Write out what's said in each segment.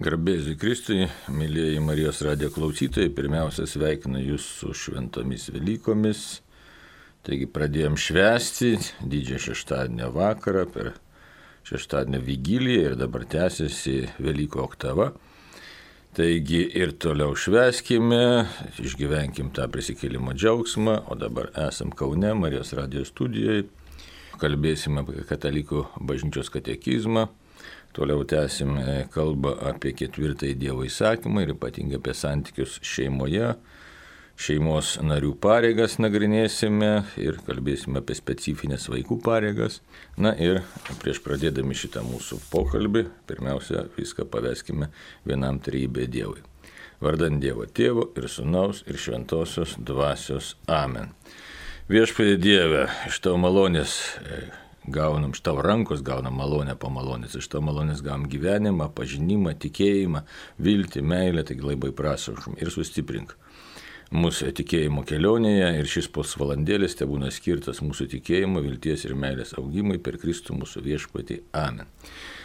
Garbėsiu Kristui, mėlyjeji Marijos radijo klausytojai, pirmiausia sveikinu jūs su šventomis Velykomis. Taigi pradėjom švęsti didžiąją šeštadienio vakarą per šeštadienio vigiliją ir dabar tęsiasi Velykų oktava. Taigi ir toliau švęskime, išgyvenkim tą prisikėlimo džiaugsmą, o dabar esam Kaune Marijos radijo studijoje. Kalbėsime apie katalikų bažnyčios katekizmą. Toliau tęsim kalbą apie 4 Dievo įsakymą ir ypatingai apie santykius šeimoje. Šeimos narių pareigas nagrinėsime ir kalbėsime apie specifines vaikų pareigas. Na ir prieš pradėdami šitą mūsų pokalbį, pirmiausia, viską paveskime vienam trejybė Dievui. Vardant Dievo Tėvo ir Sūnaus ir Šventosios Dvasios. Amen. Viešpatie Dieve, iš tavo malonės gaunam, iš tavo rankos gaunam malonę po malonės, iš tavo malonės gaunam gyvenimą, pažinimą, tikėjimą, viltį, meilę, taigi labai prašom ir sustiprink mūsų tikėjimo kelionėje ir šis pusvalandėlis te būna skirtas mūsų tikėjimo, vilties ir meilės augimui per Kristų mūsų viešpatį. Amen.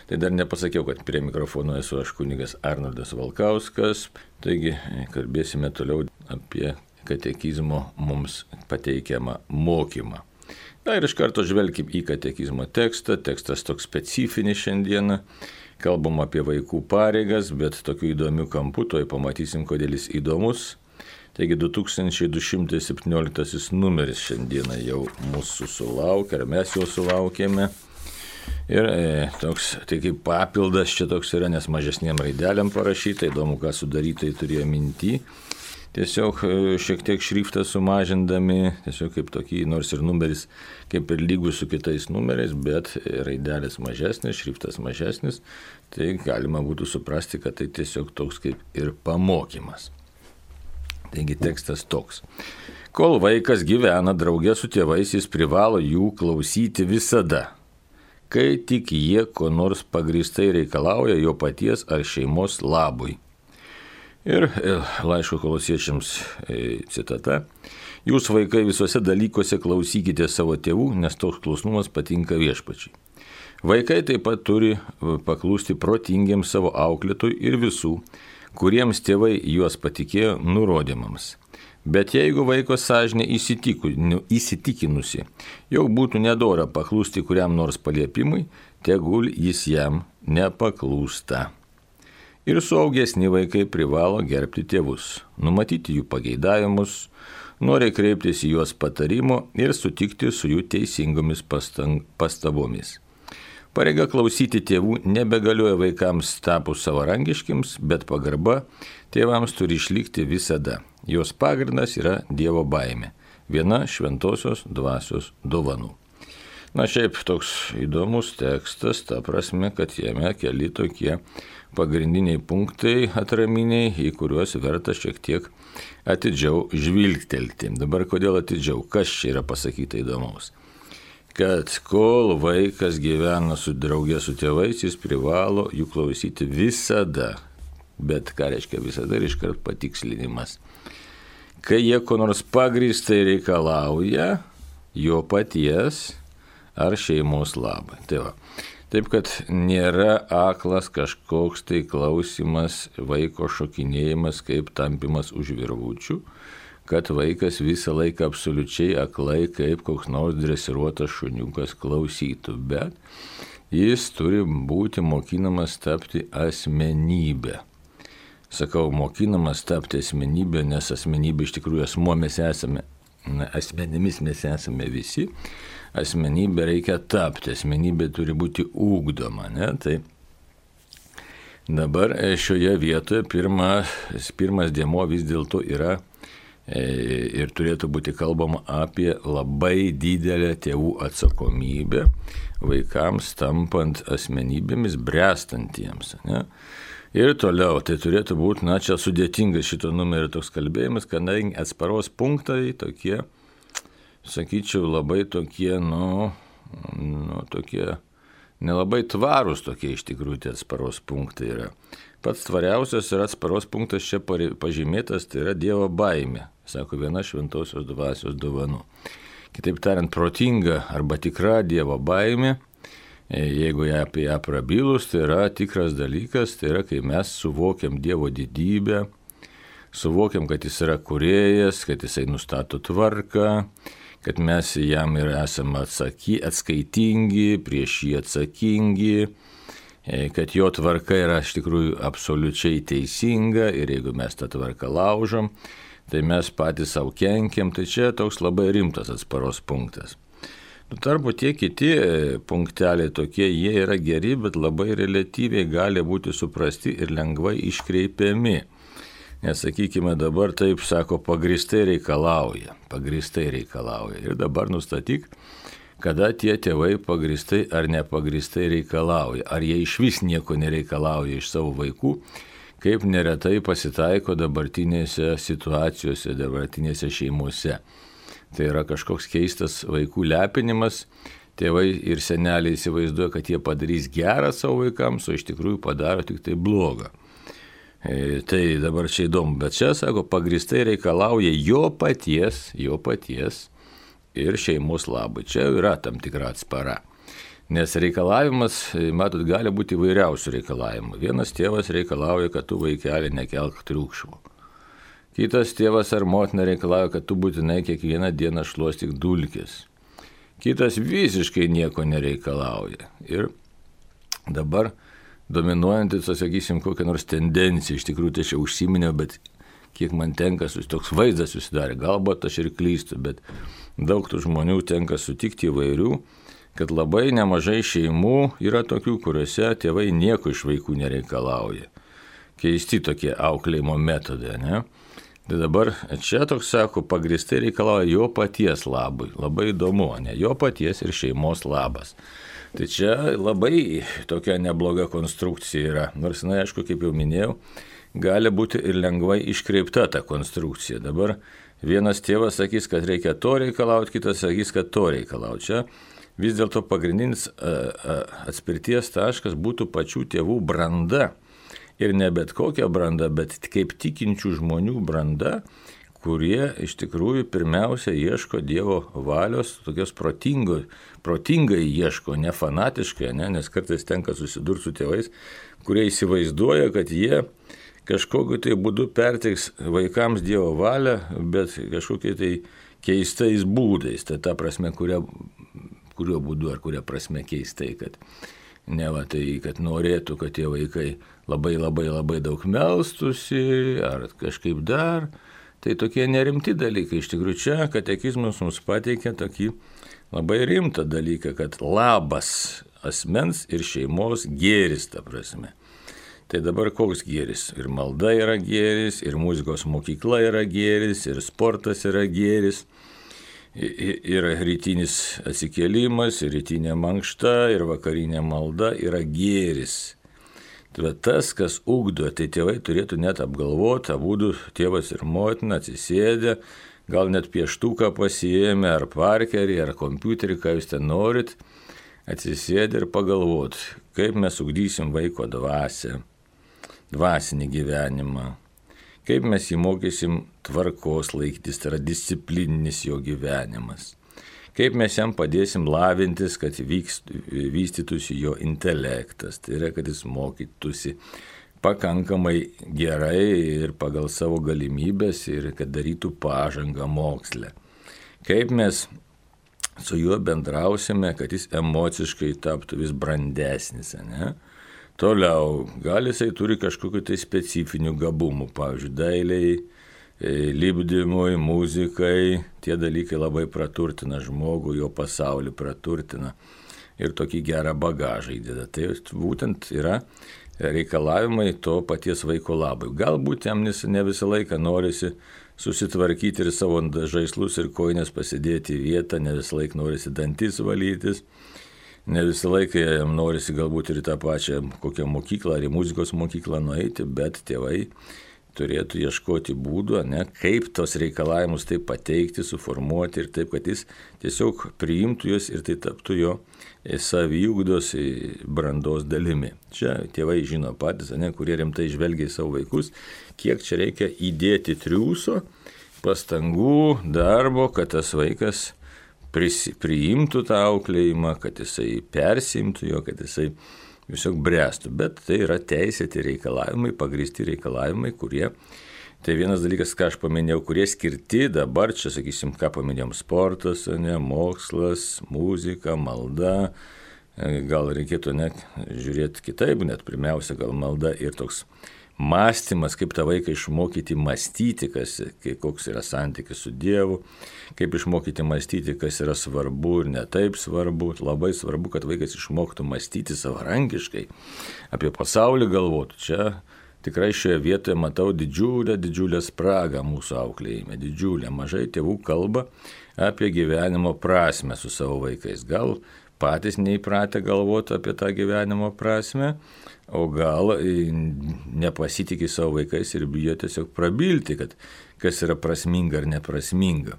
Tai dar nepasakiau, kad prie mikrofono esu aš kunigas Arnoldas Valkauskas, taigi kalbėsime toliau apie katekizmo mums pateikiamą mokymą. Na ir iš karto žvelkim į katekizmo tekstą. Tekstas toks specifinis šiandieną. Kalbam apie vaikų pareigas, bet tokių įdomių kampų, toj pamatysim, kodėl jis įdomus. Taigi 2217 numeris šiandieną jau mūsų sulaukia, ar mes jau sulaukėme. Ir toks, tai kaip papildas čia toks yra, nes mažesniem raidelėm parašyta, įdomu, ką sudarytai turėjo minty. Tiesiog šiek tiek šriftą sumažindami, tiesiog kaip tokį, nors ir numeris kaip ir lygus su kitais numeriais, bet raidelės mažesnis, šriftas mažesnis, tai galima būtų suprasti, kad tai tiesiog toks kaip ir pamokymas. Taigi tekstas toks. Kol vaikas gyvena draugė su tėvais, jis privalo jų klausyti visada, kai tik jie ko nors pagrįstai reikalauja jo paties ar šeimos labui. Ir laiško Kolosiečiams citata. Jūs vaikai visuose dalykuose klausykite savo tėvų, nes toks klusnumas patinka viešpačiai. Vaikai taip pat turi paklūsti protingiems savo auklėtojui ir visų, kuriems tėvai juos patikėjo nurodymams. Bet jeigu vaiko sąžinė įsitikinusi, jog būtų nedora paklūsti kuriam nors paliepimui, tegul jis jam nepaklūsta. Ir suaugesni vaikai privalo gerbti tėvus, numatyti jų pageidavimus, noriai kreiptis į juos patarimo ir sutikti su jų teisingomis pastabomis. Pareiga klausyti tėvų nebegalioja vaikams tapus savarankiškiams, bet pagarba tėvams turi išlikti visada. Jos pagrindas yra Dievo baimė, viena šventosios dvasios dovanų. Na šiaip toks įdomus tekstas, ta prasme, kad jame keli tokie pagrindiniai punktai atraminiai, į kuriuos verta šiek tiek atidžiau žvilgtelti. Dabar kodėl atidžiau? Kas čia yra pasakyta įdomaus? Kad kol vaikas gyvena su draugė su tėvais, jis privalo jų klausyti visada. Bet ką reiškia visada ir iškart patikslinimas. Kai jie ko nors pagrįstai reikalauja jo paties ar šeimos labai. Tai va. Taip, kad nėra aklas kažkoks tai klausimas, vaiko šokinėjimas, kaip tampimas už virvučių, kad vaikas visą laiką absoliučiai aklai, kaip koks nors dresiruotas šuniukas klausytų, bet jis turi būti mokinamas tapti asmenybę. Sakau, mokinamas tapti asmenybę, nes asmenybė iš tikrųjų asmuo mes esame, asmenimis mes esame visi. Asmenybė reikia tapti, asmenybė turi būti ugdoma, ne? Tai dabar šioje vietoje pirmas dėmuo vis dėlto yra ir turėtų būti kalbama apie labai didelę tėvų atsakomybę vaikams tampant asmenybėmis bręstantiems, ne? Ir toliau, tai turėtų būti, čia sudėtingas šito numerio toks kalbėjimas, kadangi atsparos punktai tokie, sakyčiau, labai tokie, tokie nelabai tvarūs tokie iš tikrųjų tie atsparos punktai yra. Pats tvariausias yra atsparos punktas čia pažymėtas, tai yra Dievo baimė, sako viena šventosios dvasios dovanų. Kitaip tariant, protinga arba tikra Dievo baimė jeigu apie ją prabilus, tai yra tikras dalykas, tai yra, kai mes suvokiam Dievo didybę, suvokiam, kad jis yra kūrėjas, kad jisai nustato tvarką, kad mes jam ir esame atskaitingi, prieš jį atsakingi, kad jo tvarka yra iš tikrųjų absoliučiai teisinga ir jeigu mes tą tvarką laužom, tai mes patys savo kenkiam, tai čia toks labai rimtas atsparos punktas. Tuo tarpu tie kiti punkteliai tokie, jie yra geri, bet labai reliatyviai gali būti suprasti ir lengvai iškreipiami. Nes, sakykime, dabar taip sako, pagrįstai reikalauja. Ir dabar nustatyk, kada tie tėvai pagrįstai ar nepagrįstai reikalauja. Ar jie iš vis nieko nereikalauja iš savo vaikų, kaip neretai pasitaiko dabartinėse situacijose, dabartinėse šeimose. Tai yra kažkoks keistas vaikų lepinimas. Tėvai ir seneliai įsivaizduoja, kad jie padarys gerą savo vaikams, o iš tikrųjų padaro tik tai blogą. Tai dabar čia įdomu, bet čia, sako, pagrįstai reikalauja jo paties ir šeimos labai. Čia yra tam tikra atspara. Nes reikalavimas, matot, gali būti įvairiausių reikalavimų. Vienas tėvas reikalauja, kad tu vaikelį nekelk triukšmo. Kitas tėvas ar motina reikalauja, kad tu būtinai kiekvieną dieną šluostyk dulkes. Kitas visiškai nieko nereikalauja. Ir dabar dominuojantis, sakysim, kokią nors tendenciją, iš tikrųjų tai čia užsiminiau, bet kiek man tenka, toks vaizdas susidarė, galbūt aš ir klystu, bet daug tų žmonių tenka sutikti įvairių, kad labai nemažai šeimų yra tokių, kuriuose tėvai nieko iš vaikų nereikalauja. Keisti tokie auklėjimo metodai, ne? Tai dabar čia toks, sako, pagrįstai reikalauja jo paties labui. Labai įdomu, ne? Jo paties ir šeimos labas. Tai čia labai tokia nebloga konstrukcija yra. Nors, na, aišku, kaip jau minėjau, gali būti ir lengvai iškreipta ta konstrukcija. Dabar vienas tėvas sakys, kad reikia to reikalauti, kitas sakys, kad to reikalauti. Čia vis dėlto pagrindinis atspirties taškas būtų pačių tėvų branda. Ir ne bet kokia branda, bet kaip tikinčių žmonių branda, kurie iš tikrųjų pirmiausia ieško Dievo valios, tokios protingai ieško, ne fanatiškai, ne? Nes kartais tenka susidurti su tėvais, kurie įsivaizduoja, kad jie kažkokiu tai būdu perteiks vaikams Dievo valią, bet kažkokiai tai keistais būdais. Tai ta prasme, kuriuo būdu ar kuria prasme keistai, kad ne va tai, kad norėtų, kad tie vaikai labai daug melstųsi ar kažkaip dar. Tai tokie nerimti dalykai. Iš tikrųjų čia katekizmas mums pateikia tokį labai rimtą dalyką, kad labas asmens ir šeimos gėris, ta prasme. Tai dabar koks gėris? Ir malda yra gėris, ir muzikos mokykla yra gėris, ir sportas yra gėris. Ir rytinis atsikėlimas, ir rytinė mankšta, ir vakarinė malda yra gėris. Bet tas, kas ugdo, tai tėvai turėtų net apgalvoti, abudu tėvas ir motina atsisėdę, gal net pieštuką pasiėmę, ar parkerį, ar kompiuterį, ką jūs ten norit, atsisėdę ir pagalvoti, kaip mes ugdysim vaiko dvasią, dvasinį gyvenimą. Kaip mes jį mokysim tvarkos laikytis, tai yra disciplininis jo gyvenimas. Kaip mes jam padėsim lavintis, kad vystytųsi jo intelektas, tai yra, kad jis mokytųsi pakankamai gerai ir pagal savo galimybės ir kad darytų pažangą moksle. Kaip mes su juo bendrausime, kad jis emociškai taptų vis brandesnis, ne? Toliau, gal jisai turi kažkokiu tai specifinių gabumų, pavyzdžiui, dailiai, lipdymui, muzikai, tie dalykai labai praturtina žmogų, jo pasaulį praturtina ir tokį gerą bagažą įdeda. Tai būtent yra reikalavimai to paties vaiko labui. Galbūt jam ne visą laiką norisi susitvarkyti ir savo žaislus ir kojines pasidėti į vietą, ne visą laiką norisi dantis valytis, ne visą laiką jam norisi galbūt ir į tą pačią kokią mokyklą ar į muzikos mokyklą nueiti, bet tėvai turėtų ieškoti būdų, ne, kaip tos reikalavimus taip pateikti, suformuoti ir taip, kad jis tiesiog priimtų juos ir tai taptų jo saviugdos brandos dalimi. Čia tėvai žino patys, ne, kurie rimtai žvelgia į savo vaikus, kiek čia reikia įdėti triūso, pastangų, darbo, kad tas vaikas priimtų tą auklėjimą, kad jisai persiimtų jo, kad jisai tiesiog bręstų. Bet tai yra teisėti reikalavimai, pagrįsti reikalavimai, kurie, tai vienas dalykas, ką aš paminėjau, kurie skirti dabar, čia sakysim, ką paminėjom, sportas, mokslas, muzika, malda, gal reikėtų net žiūrėti kitaip, net pirmiausia, gal malda ir toks mąstymas, kaip tą vaiką išmokyti mąstyti, koks yra santykis su Dievu, kaip išmokyti mąstyti, kas yra svarbu ir ne taip svarbu. Labai svarbu, kad vaikas išmoktų mąstyti savarankiškai, apie pasaulį galvotų. Čia tikrai šioje vietoje matau didžiulę spragą mūsų auklėjime, didžiulę. Mažai tėvų kalba apie gyvenimo prasmę su savo vaikais. Gal patys neįpratę galvoti apie tą gyvenimo prasmę, o gal nepasitikė savo vaikais ir bijo tiesiog prabilti, kad kas yra prasminga ar neprasminga.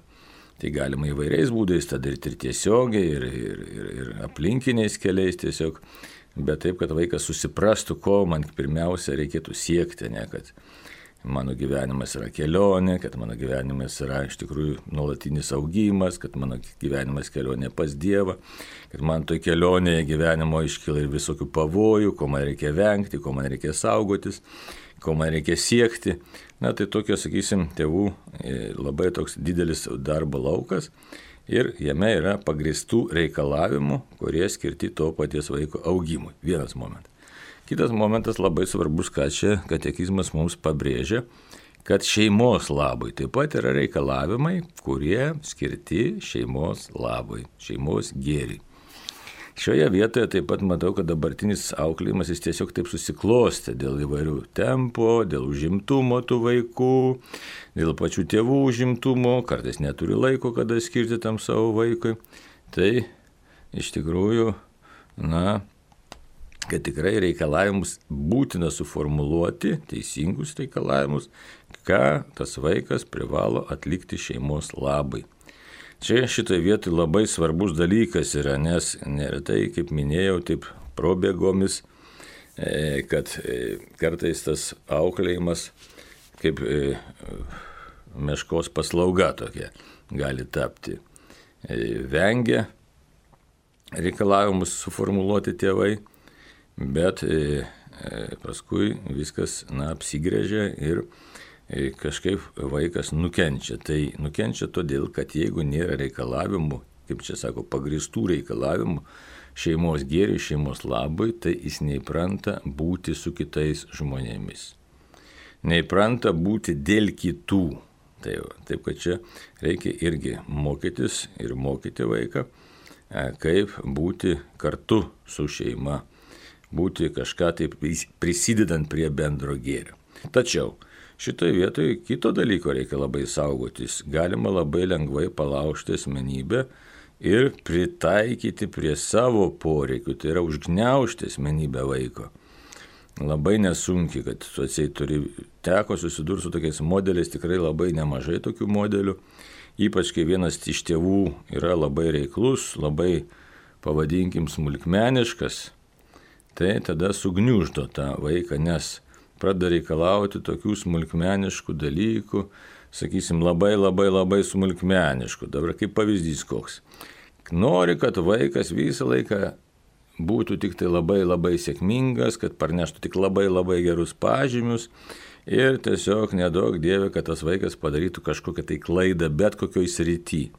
Tai galima įvairiais būdais tą daryti ir tiesiogiai, ir aplinkiniais keliais tiesiog, bet taip, kad vaikas susiprastų, ko man pirmiausia reikėtų siekti, ne, kad mano gyvenimas yra kelionė, kad mano gyvenimas yra iš tikrųjų nuolatinis augimas, kad mano gyvenimas kelionė pas Dievą, kad man toj kelionėje gyvenimo iškyla ir visokių pavojų, ko man reikia vengti, ko man reikia saugotis, ko man reikia siekti. Na, tai tokio, sakysim, tėvų labai toks didelis darbo laukas ir jame yra pagrįstų reikalavimų, kurie skirti to paties vaiko augimui. Vienas momentas. Kitas momentas labai svarbus, ką čia katekizmas mums pabrėžia, kad šeimos labui taip pat yra reikalavimai, kurie skirti šeimos labui, šeimos gėriui. Šioje vietoje taip pat matau, kad dabartinis auklėjimas jis tiesiog taip susiklostė dėl įvairių tempo, dėl užimtumo tų vaikų, dėl pačių tėvų užimtumo, kartais neturi laiko, kada skirti tam savo vaikui. Tai iš tikrųjų, kad tikrai reikalavimus būtina suformuluoti, teisingus reikalavimus, ką tas vaikas privalo atlikti šeimos labai. Čia šitoje vietoje labai svarbus dalykas yra, nes neretai, kaip minėjau, taip probėgomis, kad kartais tas auklėjimas kaip meškos paslauga tokia gali tapti. Vengia reikalavimus suformuluoti tėvai, bet paskui viskas apsigrėžia ir kažkaip vaikas nukenčia. Tai nukenčia todėl, kad jeigu nėra reikalavimų, kaip čia sako, pagrįstų reikalavimų šeimos gėriui, šeimos labui, tai jis neįpranta būti su kitais žmonėmis. Neįpranta būti dėl kitų. Taip, kad čia reikia irgi mokytis ir mokyti vaiką, kaip būti kartu su šeima. Būti kažką taip prisidedant prie bendro gėrio. Tačiau šitoje vietoje kito dalyko reikia labai saugotis. Galima labai lengvai palaužti asmenybę ir pritaikyti prie savo poreikių, tai yra užgniaužti asmenybę vaiko. Labai nesunkiai, kad teko susidurti su tokiais modeliais, tikrai labai nemažai tokių modelių, ypač kai vienas iš tėvų yra labai reiklus, labai, pavadinkim, smulkmeniškas, tai tada sugniuždo tą vaiką, nes pradeda reikalauti tokių smulkmeniškų dalykų, sakysim, labai smulkmeniškų. Dabar kaip pavyzdys koks. Nori, kad vaikas visą laiką būtų tik tai labai sėkmingas, kad parneštų tik labai gerus pažymius ir tiesiog nedaug Dieve, kad tas vaikas padarytų kažkokią tai klaidą bet kokioj srity.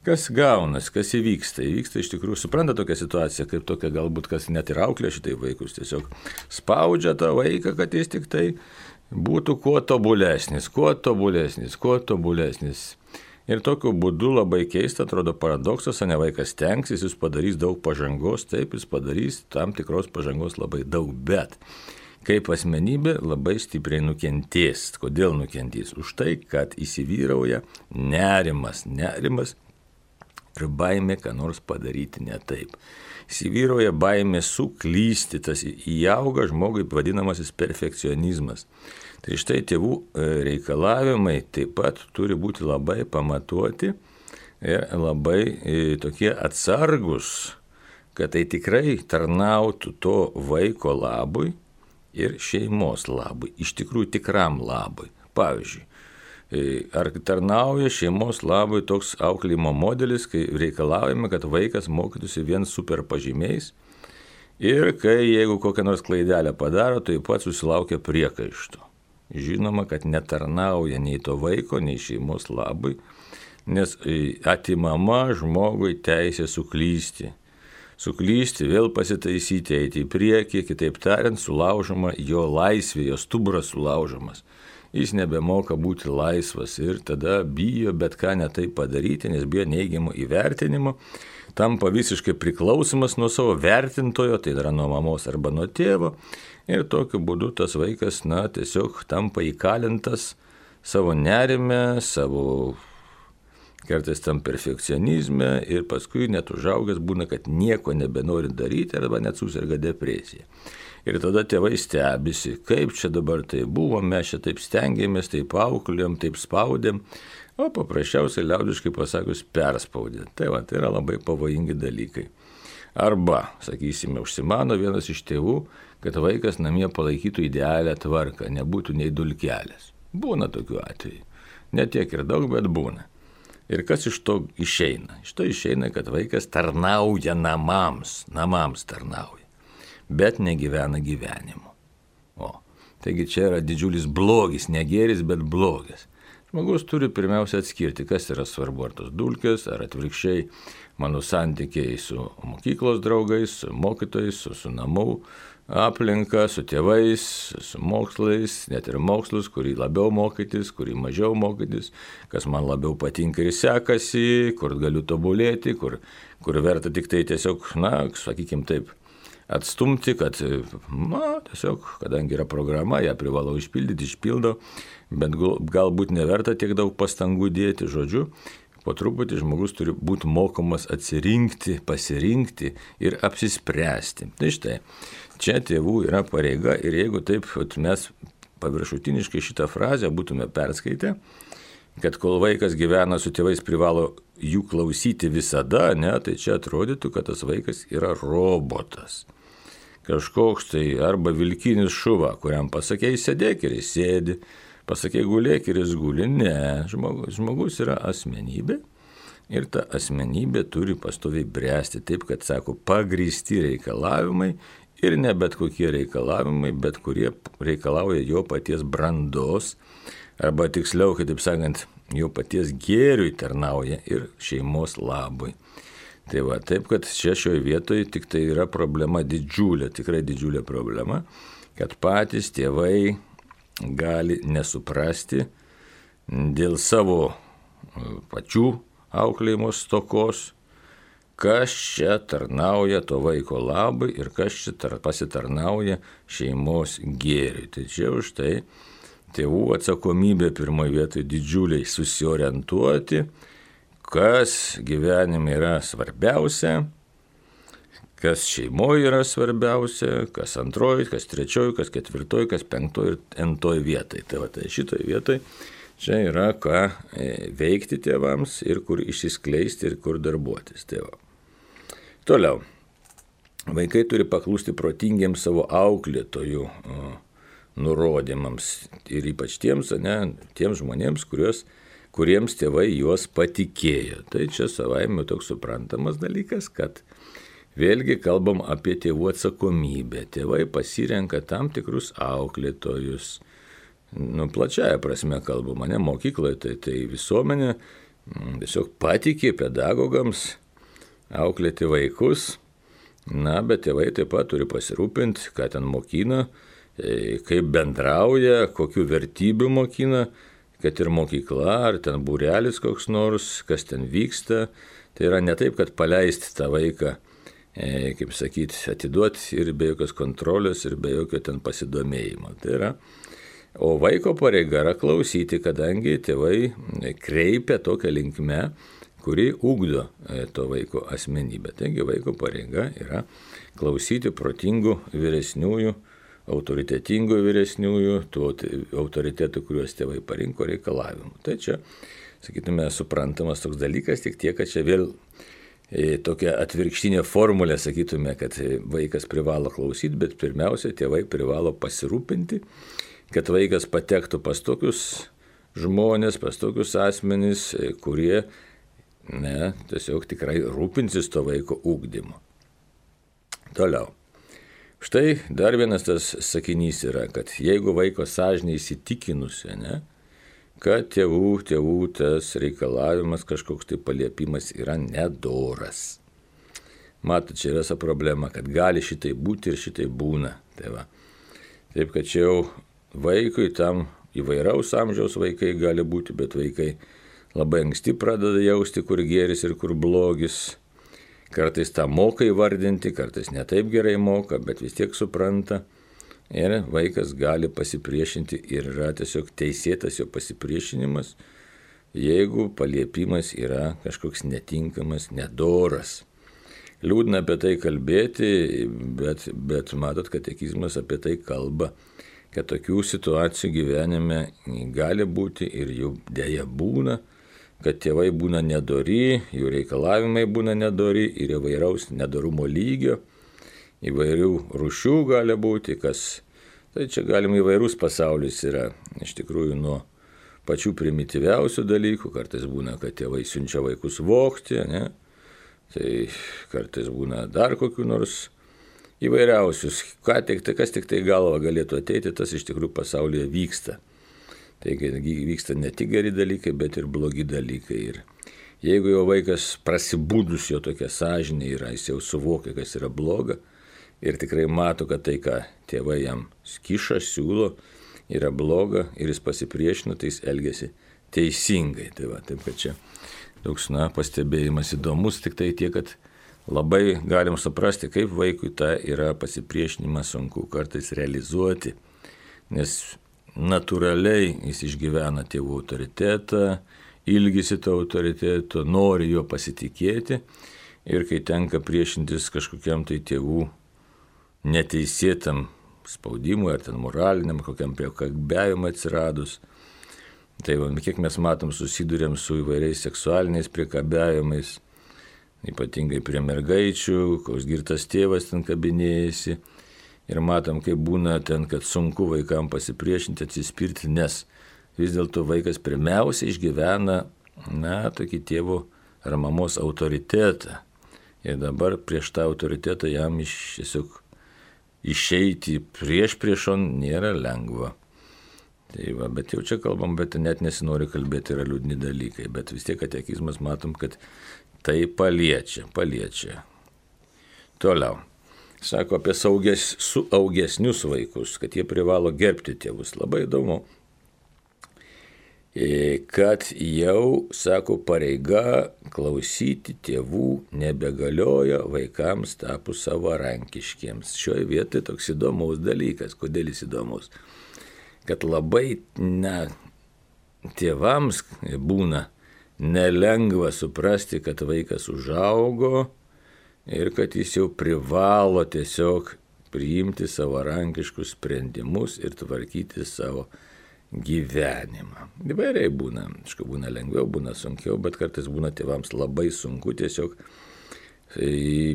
Kas gaunas, kas įvyksta? Įvyksta iš tikrųjų, supranta tokią situaciją, kaip tokia galbūt, kas net ir auklė šitai vaikus, tiesiog spaudžia tą vaiką, kad jis tik tai būtų kuo tobulesnis. Ir tokiu būdu labai keista, atrodo paradoksas, ne vaikas stengsis, jis padarys daug pažangos, taip, jis padarys tam tikros pažangos labai daug, bet kaip asmenybė labai stipriai nukentės. Kodėl nukentės? Už tai, kad įsivyrauja nerimas ir baimė, ką nors padaryti ne taip. Įsivyrauja baimė suklysti, tas įauga žmogui vadinamasis perfekcionizmas. Tai štai tėvų reikalavimai taip pat turi būti labai pamatuoti ir labai tokie atsargus, kad tai tikrai tarnautų to vaiko labui ir šeimos labui, iš tikrųjų tikram labui. Pavyzdžiui, Ar tarnauja šeimos labui toks auklėjimo modelis, kai reikalaujame, kad vaikas mokytųsi vien super pažymiais ir kai jeigu kokią nors klaidelę padaro, tai pats susilaukia priekaištų. Žinoma, kad netarnauja nei to vaiko, nei šeimos labui, nes atimama žmogui teisė suklysti. Suklysti, vėl pasitaisyti, eiti į priekį, kitaip tariant, sulaužoma jo laisvė, jo stuburas sulaužomas. Jis nebemoka būti laisvas ir tada bijo bet ką netai padaryti, nes bijo neigiamo įvertinimo, tampa visiškai priklausomas nuo savo vertintojo, tai yra nuo mamos arba nuo tėvo, ir tokiu būdu tas vaikas, tiesiog tampa įkalintas savo nerime, savo kartais tam perfekcionizme ir paskui net užaugęs būna, kad nieko nebenori daryti arba net susirga depresija. Ir tada tėvai stebisi, kaip čia dabar tai buvo, mes čia taip stengiamės, taip auklėjom, taip spaudėm, o paprasčiausiai liaudiškai pasakius perspaudė. Tai yra labai pavojingi dalykai. Arba, sakysime, užsimano vienas iš tėvų, kad vaikas namie palaikytų idealią tvarką, nebūtų nei dulkelės. Būna tokių atvejų. Ne tiek ir daug, bet būna. Ir kas iš to išeina? Iš to išeina, kad vaikas tarnauja namams tarnauja, bet negyvena gyvenimu. Taigi čia yra didžiulis blogis, ne gėris, bet blogis. Žmogus turi pirmiausia atskirti, kas yra svarbu, ar tos dulkės, ar atvirkščiai mano santykiai su mokyklos draugais, su mokytojais, su namų aplinka, su tėvais, su mokslais, net ir mokslus, kurį labiau mokytis, kurį mažiau mokytis, kas man labiau patinka ir sekasi, kur galiu tobulėti, kur verta tik tai tiesiog, sakykim taip, atstumti, kad, tiesiog, kadangi yra programa, ją privalau išpildo, bet galbūt neverta tiek daug pastangų dėti, žodžiu, po truputį žmogus turi būti mokomas atsirinkti, pasirinkti ir apsispręsti. Tai štai, čia tėvų yra pareiga ir jeigu taip mes paviršutiniškai šitą frazę būtume perskaitę, kad kol vaikas gyvena su tėvais privalo jų klausyti visada, tai čia atrodytų, kad tas vaikas yra robotas. Kažkoks tai arba vilkinis šuva, kuriam pasakei sėdėk ir jis sėdi, pasakei gulėk ir jis guli. Ne, žmogus yra asmenybė ir ta asmenybė turi pastoviai bręsti taip, kad, sako, pagrįsti reikalavimai ir ne bet kokie reikalavimai, bet kurie reikalauja jo paties brandos, arba tiksliau, kitaip sakant, jo paties gėriui tarnauja ir šeimos labui. Tai taip, kad čia šioje vietoje tik tai yra problema didžiulė, tikrai didžiulė problema, kad patys tėvai gali nesuprasti dėl savo pačių auklėjimo stokos, kas čia tarnauja to vaiko labui ir kas čia pasitarnauja šeimos gėriui. Tai čia už tai tėvų atsakomybė pirmoje vietoje didžiuliai susiorientuoti, kas gyvenime yra svarbiausia, kas šeimoje yra svarbiausia, kas antroji, kas trečioji, kas ketvirtoji, kas penktoji ir entoji vietai. Tai šitoje vietoje čia yra ką veikti tėvams ir kur išsiskleisti ir kur darbuotis. Toliau, vaikai turi paklusti protingiems savo auklėtojų nurodymams ir ypač tiems žmonėms, kuriems tėvai juos patikėjo. Tai čia savaime toks suprantamas dalykas, kad vėlgi kalbam apie tėvų atsakomybę. Tėvai pasirenka tam tikrus auklėtojus. Plačiaja prasme kalbama, ne mokykloje, tai visuomenė tiesiog patikė pedagogams auklėti vaikus. Bet tėvai taip pat turi pasirūpinti, ką ten mokina, kaip bendrauja, kokių vertybių mokina, kad ir mokykla, ar ten būrelis koks nors, kas ten vyksta. Tai yra ne taip, kad paleisti tą vaiką, kaip sakyti, atiduoti ir be jokios kontrolės, ir be jokio ten pasidomėjimo. Tai yra, o vaiko pareiga yra klausyti, kadangi tėvai kreipia tokią linkmę, kuri ugdo to vaiko asmenybę. Taigi vaiko pareiga yra klausyti protingų vyresniųjų, autoritetingų vyresniųjų, tų autoritetų, kuriuos tėvai parinko reikalavimų. Tai čia, sakytume, suprantamas toks dalykas, tik tiek, kad čia vėl tokia atvirkštinė formulė, sakytume, kad vaikas privalo klausyti, bet pirmiausia, tėvai privalo pasirūpinti, kad vaikas patektų pas tokius žmonės, pas tokius asmenys, kurie tiesiog tikrai rūpinsis to vaiko ugdymu. Toliau. Štai dar vienas tas sakinys yra, kad jeigu vaiko sąžinė įsitikinusi, kad tėvų tas reikalavimas, kažkoks tai paliepimas yra nedoras. Matot, čia yra problema, kad gali šitai būti ir šitai būna. Taip, kad čia jau vaikui tam įvairaus amžiaus vaikai gali būti, bet vaikai labai anksti pradeda jausti, kur gėris ir kur blogis. Kartais tą moka įvardinti, kartais ne taip gerai moka, bet vis tiek supranta. Ir vaikas gali pasipriešinti ir yra tiesiog teisėtas jo pasipriešinimas, jeigu paliepimas yra kažkoks netinkamas, nedoras. Liūdna apie tai kalbėti, bet matot, katekizmas apie tai kalba, kad tokių situacijų gyvenime gali būti ir jų dėja būna, kad tėvai būna nedori, jų reikalavimai būna nedori ir įvairaus nedorumo lygio, įvairių rūšių gali būti, tai čia galim įvairūs pasaulis yra, iš tikrųjų nuo pačių primityviausių dalykų, kartais būna, kad tėvai siunčia vaikus vogti, tai kartais būna dar kokių nors įvairiausius, kas tik tai galva galėtų ateiti, tas iš tikrųjų pasaulyje vyksta. Taigi vyksta ne tik geri dalykai, bet ir blogi dalykai. Ir jeigu jau vaikas prasibūdus jo tokia sąžinė yra, jis jau suvokia, kas yra bloga ir tikrai mato, kad tai, ką tėvai jam kiša, siūlo, yra bloga ir jis pasipriešina, tai jis elgiasi teisingai. Taip, kad čia toks pastebėjimas įdomus, tik tai tiek, kad labai galim suprasti, kaip vaikui tą yra pasipriešinimą sunku kartais realizuoti, nes natūraliai jis išgyvena tėvų autoritetą, ilgisi to autoriteto, nori jo pasitikėti ir kai tenka priešintis kažkokiam tai tėvų neteisėtam spaudimui ar ten moraliniam, kokiam priekabiavimui atsiradus. Tai kiek mes matom, susidurėm su įvairiais seksualiniais priekabiavimais, ypatingai prie mergaičių, koks girtas tėvas ten kabinėjasi. Ir matom, kaip būna ten, kad sunku vaikam pasipriešinti, atsispirti, nes vis dėlto vaikas pirmiausia išgyvena, tokį tėvo ar mamos autoritetą. Ir dabar prieš tą autoritetą jam tiesiog išeiti priešon nėra lengva. Tai bet jau čia kalbam, bet net nesinori kalbėti, yra liūdni dalykai. Bet vis tiek katekizmas matom, kad tai paliečia. Toliau. Sako apie saugesnius vaikus, kad jie privalo gerbti tėvus. Labai įdomu, kad jau, sako, pareiga klausyti tėvų nebegalioja vaikams tapus savarankiškiems. Šioje vietoje toks įdomus dalykas. Kodėl jis įdomus? Kad labai tėvams būna nelengva suprasti, kad vaikas užaugo, ir kad jis jau privalo tiesiog priimti savarankiškus sprendimus ir tvarkyti savo gyvenimą. Įvairiai būna, būna lengviau, būna sunkiau, bet kartais būna tėvams labai sunku tiesiog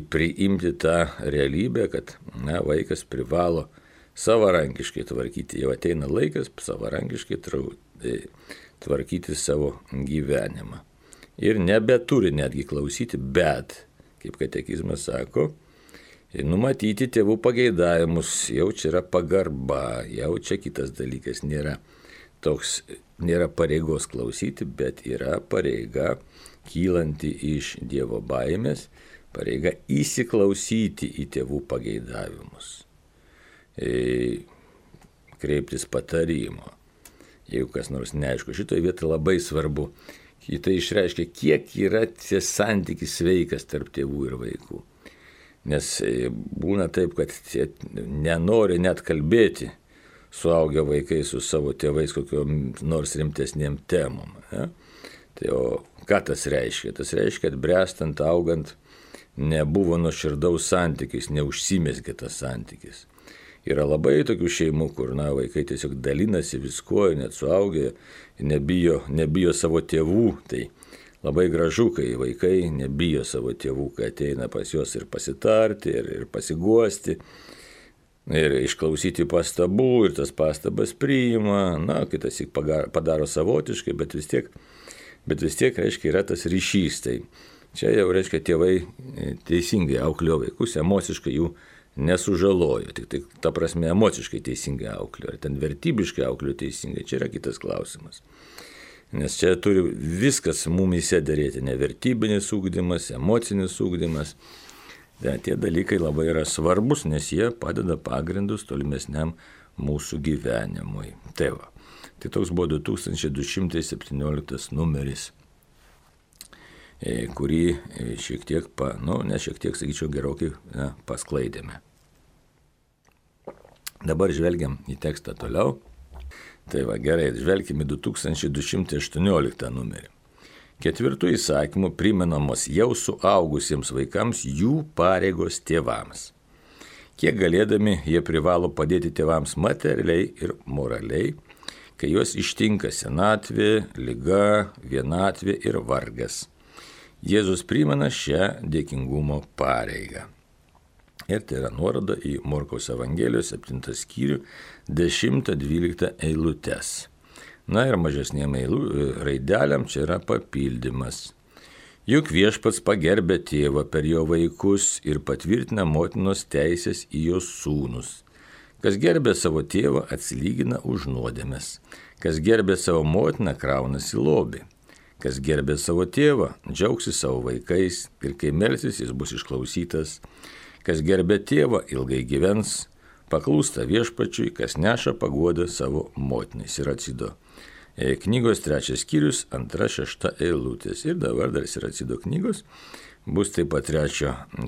priimti tą realybę, kad vaikas privalo savarankiškai tvarkyti. Jau ateina laikas savarankiškai tvarkyti savo gyvenimą. Ir nebeturi netgi klausyti, bet kaip katekizmas sako, numatyti tėvų pageidavimus, jau čia yra pagarba, jau čia kitas dalykas, nėra pareigos klausyti, bet yra pareiga kylanti iš Dievo baimės, pareiga įsiklausyti į tėvų pageidavimus, kreiptis patarimo. Jeigu kas nors neaišku, šitoje vietoje labai svarbu. Tai išreiškia, kiek yra tie santykis sveikas tarp tėvų ir vaikų. Nes būna taip, kad nenori net kalbėti suaugę vaikai su savo tėvais kokiom nors rimtesnėm temom. Tai o ką tas reiškia? Tas reiškia, kad bręstant, augant, nebuvo nuoširdaus santykis, neužsimezgė tas santykis. Yra labai tokių šeimų, kur vaikai tiesiog dalinasi viskuo, net suaugę, nebijo savo tėvų. Tai labai gražu, kai vaikai nebijo savo tėvų, kai ateina pas juos ir pasitarti, ir pasiguosti. ir išklausyti pastabų, ir tas pastabas priima, kitas tik padaro savotiškai, bet vis tiek, reiškia, yra tas ryšys. Tai čia jau, reiškia, tėvai teisingai auklėjo vaikus, emociškai jų nesužalojo, tik ta prasme emociškai teisingai auklėjo, ar ten vertybiškai auklėjo teisingai, čia yra kitas klausimas. Nes čia turi viskas mumyse daryti, ne vertybinis ugdymas, emocinis ugdymas. Tie dalykai labai yra svarbus, nes jie padeda pagrindus tolimesniam mūsų gyvenimui. Tai toks buvo 2217 numeris, kurį šiek tiek, sakyčiau, gerokai pasklaidėme. Dabar žvelgiam į tekstą toliau. Tai gerai, žvelgime 2218 numerį. 4 įsakymų primenamos jau suaugusiems vaikams jų pareigos tėvams. Kiek galėdami jie privalo padėti tėvams materialiai ir moraliai, kai juos ištinka senatvė, liga, vienatvė ir vargas. Jėzus primena šią dėkingumo pareigą. Ir tai yra nuoroda į Morkaus Evangelijos 7 skyrių 10-12 eilutes. Ir mažesniem raideliam čia yra papildymas. Juk viešpats pagerbė tėvą per jo vaikus ir patvirtina motinos teisės į jos sūnus. Kas gerbė savo tėvą, atsilygina už nuodėmes. Kas gerbė savo motiną, kraunasi lobį. Kas gerbė savo tėvą, džiaugsis savo vaikais ir kai melsis, jis bus išklausytas. Kas gerbė tėvą, ilgai gyvens, paklūsta viešpačiui, kas neša paguodą savo motinai. Siracido knygos 3 skyrius, 2-6 eilutės. Ir dabar dar Siracido knygos bus taip pat 3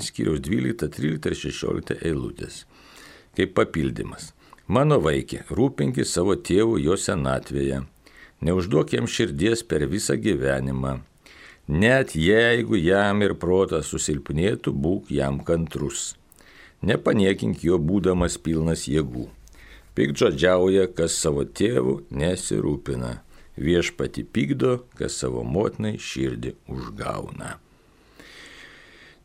skyriaus 12, 13 ir 16 eilutės. Kaip papildymas. Mano vaikė, rūpinkis savo tėvų jo senatvėje. Neužduok jam širdies per visą gyvenimą. Net jeigu jam ir protas susilpnėtų, būk jam kantrus. Nepaniekink jo būdamas pilnas jėgų. Piktžodžiauja, kas savo tėvų nesirūpina. Viešpatį pykdo, kas savo motinai širdį užgauna.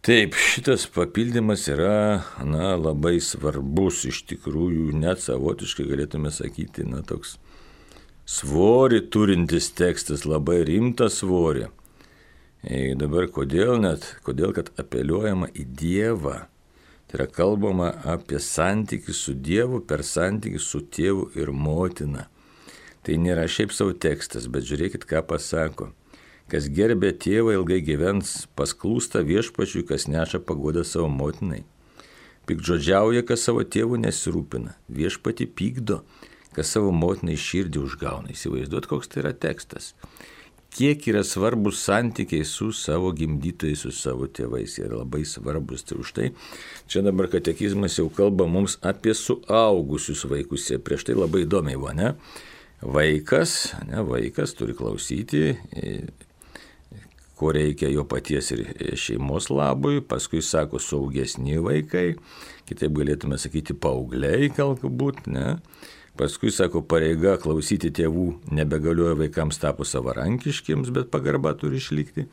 Taip, šitas papildymas yra labai svarbus, iš tikrųjų, net savotiškai galėtume sakyti, toks svorį turintis tekstas, labai rimtą svorį. Dabar kodėl, kad apeliuojama į Dievą. Tai yra kalbama apie santykį su Dievu per santykį su tėvu ir motina. Tai nėra šiaip savo tekstas, bet žiūrėkit, ką pasako. Kas gerbė tėvą, ilgai gyvens, pasklūsta viešpačiui, kas neša paguodą savo motinai. Piktžodžiauja, kas savo tėvų nesirūpina. Viešpatį pykdo, kas savo motinai širdį užgauna. Įsivaizduot, koks tai yra tekstas. Kiek yra svarbus santykiai su savo gimdytojais, su savo tėvais, yra labai svarbus. Tai už tai čia dabar katekizmas jau kalba mums apie suaugusius vaikus. Prieš tai labai įdomiai buvo, ne? Vaikas turi klausyti, ko reikia jo paties ir šeimos labui, paskui sako saugesni vaikai, kitaip galėtume sakyti paaugliai galbūt, ne? Paskui, sako, pareiga klausyti tėvų nebegalioja vaikams tapus savarankiškiams, bet pagarba turi išlikti.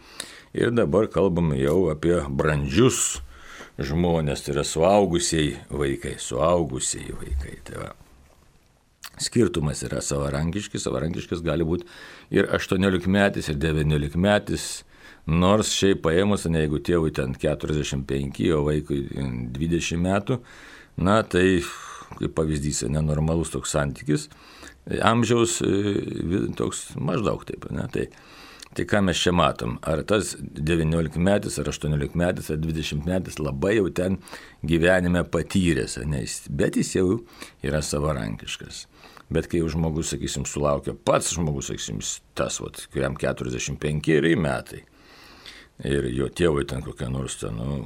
Ir dabar kalbame jau apie brandžius žmonės, tai yra suaugusiai vaikai. Tai skirtumas yra savarankiškas gali būti ir 18-metis, ir 19-metis, nors šiaip paėmus, jeigu tėvui ten 45, o vaikui 20 metų, tai kaip pavyzdys, nenormalus toks santykis, amžiaus toks maždaug taip, ne? Tai ką mes čia matom? Ar tas 19-metis, ar 18-metis, ar 20-metis labai jau ten gyvenime patyręs, bet jis jau yra savarankiškas. Bet kai jau žmogus, sakysim, sulaukia pats žmogus, sakysim, tas, kuriam 45 metai, ir jo tėvai ten kokia nors,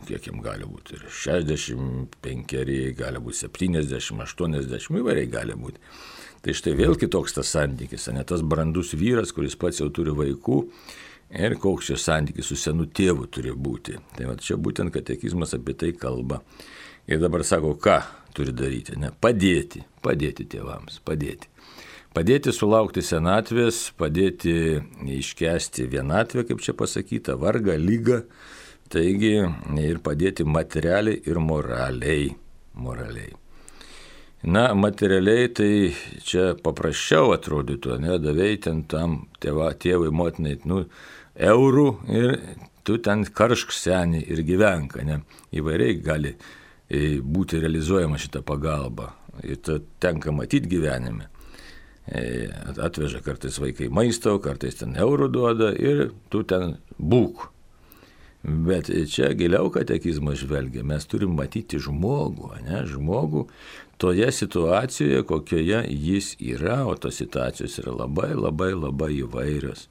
kiek jam gali būti, ir 65, gali būti 70, 80, įvairiai gali būti. Tai štai vėl kitoks tas santykis, ne tas brandus vyras, kuris pats jau turi vaikų, ir koks jo santykis su senu tėvu turi būti. Tai čia būtent katekizmas apie tai kalba. Ir dabar sako, ką turi daryti, ne? Padėti tėvams, padėti. Padėti sulaukti senatvės, padėti iškęsti vienatvę, kaip čia pasakyta, vargą, lygą, taigi ir padėti materialiai ir moraliai. Na, materialiai tai čia paprasčiau atrodytų, ne, davėjai ten tam tėvui, motinai, eurų ir tu ten karšk senį ir gyvenk, ne, įvairiai gali būti realizuojama šita pagalba ir tenka matyti gyvenime. Atveža kartais vaikai maisto, kartais ten eurų duoda ir tu ten būk. Bet čia giliau katekizmas žvelgia, mes turim matyti žmogų, ne, žmogų toje situacijoje, kokioje jis yra, o tos situacijos yra labai, labai, labai įvairios.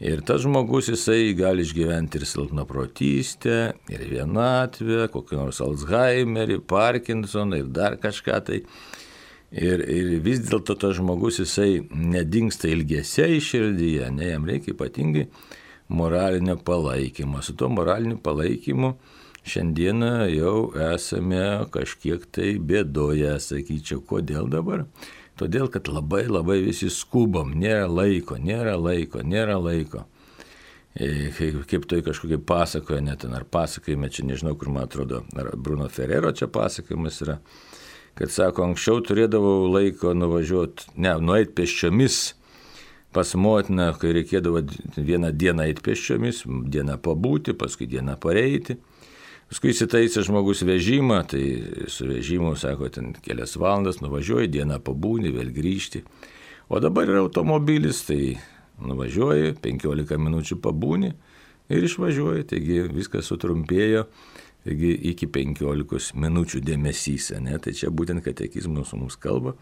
Ir tas žmogus, jisai gali išgyventi ir silpnaprotystę, ir vienatvę, kokį nors Alzheimerį, Parkinsoną ir dar kažką tai. Ir vis dėlto tas žmogus, jisai nedingsta ilgesiai širdyje, ne, jam reikia ypatingai moralinio palaikymo. Su tuo moraliniu palaikymu šiandieną jau esame kažkiek tai bėdoje, sakyčiau. Kodėl dabar? Todėl, kad labai labai visi skubam, nėra laiko. Kaip tai kažkokie pasakoja, net ten ar pasakojime, čia nežinau, kur man atrodo, ar Bruno Ferrero čia pasakojimas yra, kad sako, anksčiau turėdavau laiko nueiti pėsčiomis pas motiną, kai reikėdavo vieną dieną eiti pėsčiomis, dieną pabūti, paskui dieną pareiti. Paskui įsitaisė žmogus vežimą, tai su vežimu, sako, ten kelias valandas nuvažiuoji, dieną pabūni, vėl grįžti. O dabar yra automobilis, tai nuvažiuoji, 15 minučių pabūni ir išvažiuoji, taigi viskas sutrumpėjo, taigi iki 15 minučių dėmesys, ne? Tai čia būtent katekizmas mums kalba,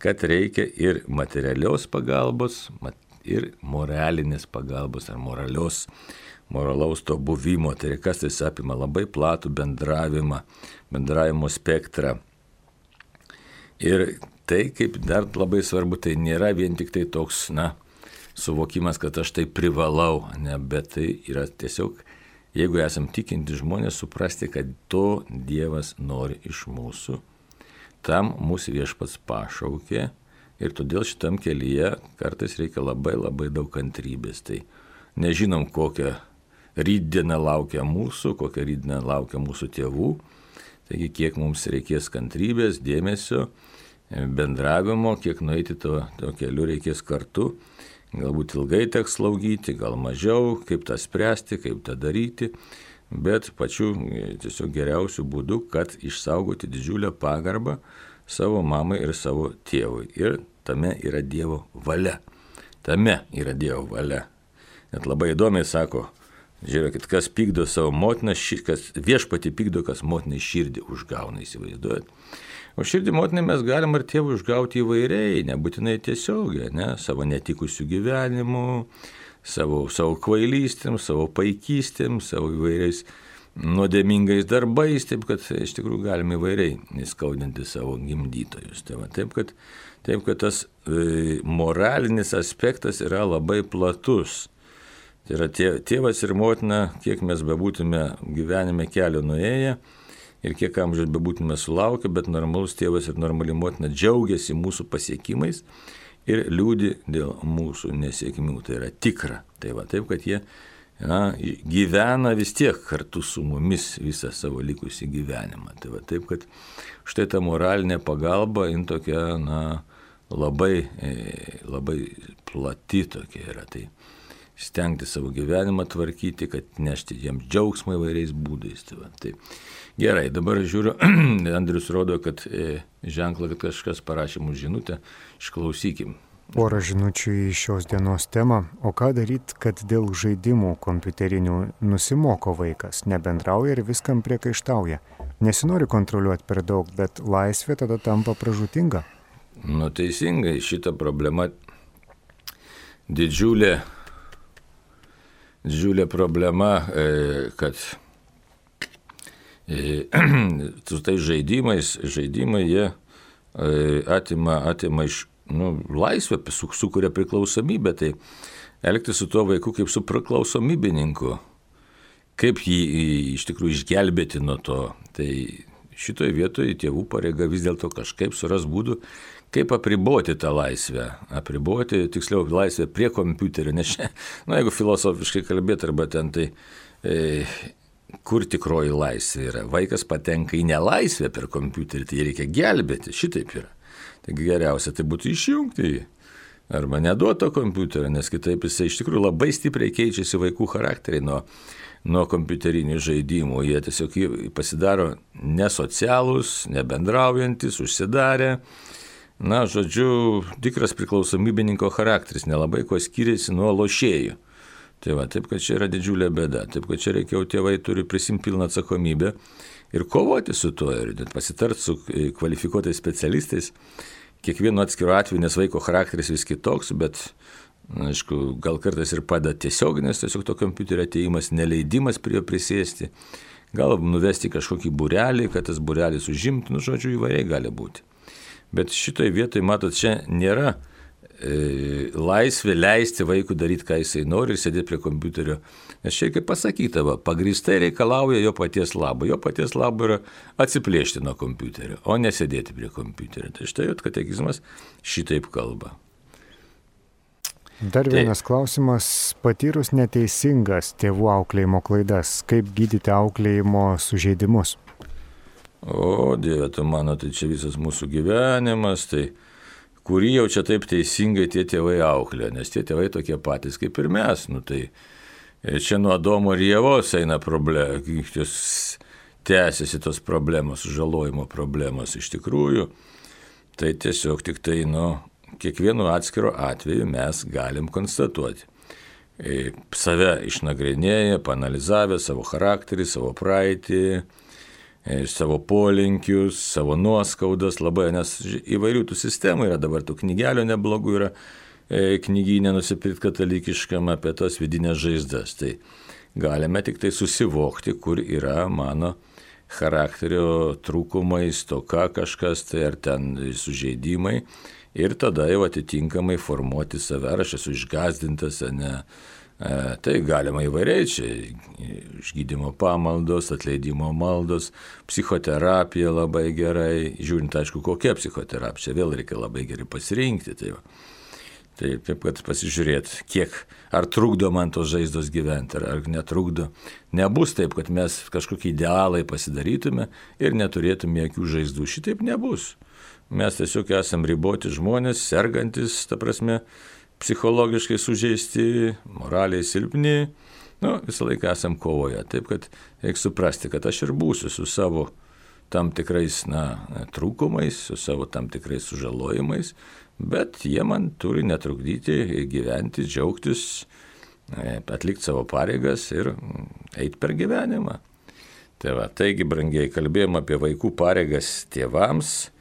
kad reikia ir materialios pagalbos, ir moralinės pagalbos, ar moralaus to buvimo, tai kas tai apima labai platų bendravimo spektrą. Ir tai, kaip dar labai svarbu, tai nėra vien tik tai toks, suvokimas, kad aš tai privalau, ne, bet tai yra tiesiog, jeigu esam tikinti žmonės, suprasti, kad to Dievas nori iš mūsų, tam mūsų viešpats pašaukė ir todėl šitam kelyje kartais reikia labai labai daug kantrybės. Tai nežinom, kokią rytdieną laukia mūsų, kokią rytdieną laukia mūsų tėvų, taigi kiek mums reikės kantrybės, dėmesio, bendravimo, kiek nueiti to keliu reikės kartu. Galbūt ilgai teks slaugyti, gal mažiau, kaip tą spręsti, kaip tą daryti, bet pačiu tiesiog geriausiu būdu, kad išsaugoti didžiulę pagarbą savo mamai ir savo tėvui. Ir tame yra Dievo valia. Net labai įdomiai sako, žiūrėkit, kas pykdo savo motiną, kas viešpatį pykdo, kas motinai širdį užgauna, įsivaizduojat. O širdį motinai mes galim ar tėvų užgauti įvairiai, nebūtinai tiesiogiai, ne, savo netikusių gyvenimų, savo kvailystėm, savo paikystėm, savo įvairiais nuodėmingais darbais, taip kad iš tikrųjų galime įvairiai įskaudinti savo gimdytojus. Taip kad tas moralinis aspektas yra labai platus. Tai yra tėvas ir motina, kiek mes bebūtume gyvenime kelio nuėję ir kiek amžiaus bebūtume sulaukę, bet normalus tėvas ir normali motina džiaugiasi mūsų pasiekimais ir liūdi dėl mūsų nesėkmių. Tai yra tikra. Taip, kad jie gyvena vis tiek kartu su mumis visą savo likusį gyvenimą. Taip, kad štai ta moralinė pagalba, jin tokia, labai, labai plati tokia yra. Tai stengti savo gyvenimą tvarkyti, kad nešti jiems džiaugsmą įvairiais būdais. Tai gerai, dabar žiūriu, Andrius rodo, kad ženklą, kad kažkas parašė mums žinutę, išklausykim. Porą žinučių į šios dienos temą. O ką daryti, kad dėl žaidimų kompiuterinių nusimoko vaikas, nebendrauja ir viskam priekaištauja? Nesinori kontroliuoti per daug, bet laisvė tada tampa pražūtinga. Teisingai, šita problema didžiulė problema, kad su tais žaidimai jie atima iš laisvę, sukuria priklausomybę, tai elgtis su tuo vaiku kaip su priklausomybininku, kaip jį iš tikrųjų išgelbėti nuo to. Tai šitoje vietoje tėvų pareiga vis dėlto kažkaip suras būdų, kaip apriboti tą laisvę, tiksliau laisvę prie kompiuterio, nes jeigu filosofiškai kalbėti arba ten, tai kur tikroji laisvė yra. Vaikas patenka į nelaisvę per kompiuterį, tai reikia gelbėti, šitaip yra. Taigi geriausia tai būtų išjungti jį. Arba neduoto kompiuterio, nes kitaip jisai iš tikrųjų labai stipriai keičiasi vaikų charakteriai nuo kompiuterinių žaidimų. Jie tiesiog pasidaro nesocialūs, nebendraujantis, užsidarę. Na, žodžiu, tikras priklausomybininko charakteris nelabai ko skiriasi nuo lošėjų. Tai va, taip, kad čia yra didžiulė bėda. Taip, kad čia reikia, tėvai turi prisimti pilną atsakomybę ir kovoti su tuo, ir pasitart su kvalifikuotais specialistais. Kiekvienu atskiru atveju, nes vaiko charakteris vis kitoks, bet, aišku, gal kartais ir padeda tiesioginis tiesiog to kompiuterio atėjimas, neleidimas prie jo prisėsti, gal nuvesti kažkokį būrelį, kad tas būrelis užimtų, žodžiu, įvairiai gali būti. Bet šitoj vietoj, matot, čia nėra laisvė leisti vaikui daryti, ką jisai nori ir sėdėti prie kompiuterio. Nes čia kaip pasakyta, pagrįstai reikalauja jo paties labo. Jo paties labo yra atsiplėšti nuo kompiuterio, o nesėdėti prie kompiuterio. Tai štai katekizmas šitaip kalba. Dar vienas klausimas. Patyrus neteisingas tėvų auklėjimo klaidas, kaip gydyti auklėjimo sužeidimus? O, Dieve, tu mano, tai čia visas mūsų gyvenimas, tai kurį jau čia taip teisingai tie tėvai auklė, nes tie tėvai tokie patys kaip ir mes. Tai čia nuo Adomo ir Ievos eina tęsiasi tos problemos, sužalojimo problemos iš tikrųjų. Tai tiesiog tik tai, kiekvienu atskiru atveju mes galim konstatuoti. Save išnagrinėję, panalizavę savo charakterį, savo praeitį, savo polinkius, savo nuoskaudas, labai, nes įvairių tų sistemų yra, dabar tų knygelių neblogų yra, knyginę nusipirkti katalikiškam apie tos vidinės žaizdas. Tai galime tik tai susivokti, kur yra mano charakterio trūkumai, stoka kažkas, tai ar ten sužeidimai, ir tada jau atitinkamai formuoti save, ar aš esu išgąsdintas, ne. Tai galima įvairiai, čia išgydymo pamaldos, atleidimo maldos, psichoterapija labai gerai, žiūrint, aišku, kokia psichoterapija, čia vėl reikia labai gerai pasirinkti. Tai taip, kad pasižiūrėti, ar trukdo man tos žaizdos gyventi, ar netrukdo. Nebus taip, kad mes kažkokį idealai pasidarytume ir neturėtume jokių žaizdų. Šitaip nebus. Mes tiesiog esam riboti žmonės, sergantis, ta prasme, psichologiškai sužeisti, moraliai silpni, visą laiką esam kovoje. Taip, kad reikia suprasti, kad aš ir būsiu su savo tam tikrais trūkumais, su savo tam tikrais sužalojimais, bet jie man turi netrukdyti gyventi, džiaugtis, atlikti savo pareigas ir eiti per gyvenimą. Taigi, brangiai, kalbėjom apie vaikų pareigas tėvams.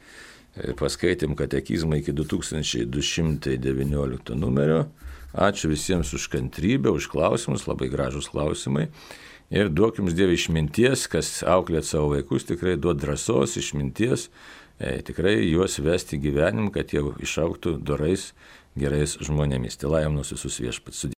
Paskaitėm katekizmą iki 2219 numerio. Ačiū visiems už kantrybę, už klausimus, labai gražus klausimai. Ir duok jums, Dieve, išminties, kas auklėt savo vaikus, tikrai duod drąsos, išminties, tikrai juos vesti gyvenimą, kad jie išaugtų dorais, gerais žmonėmis. Tai laimnos visus viešpats.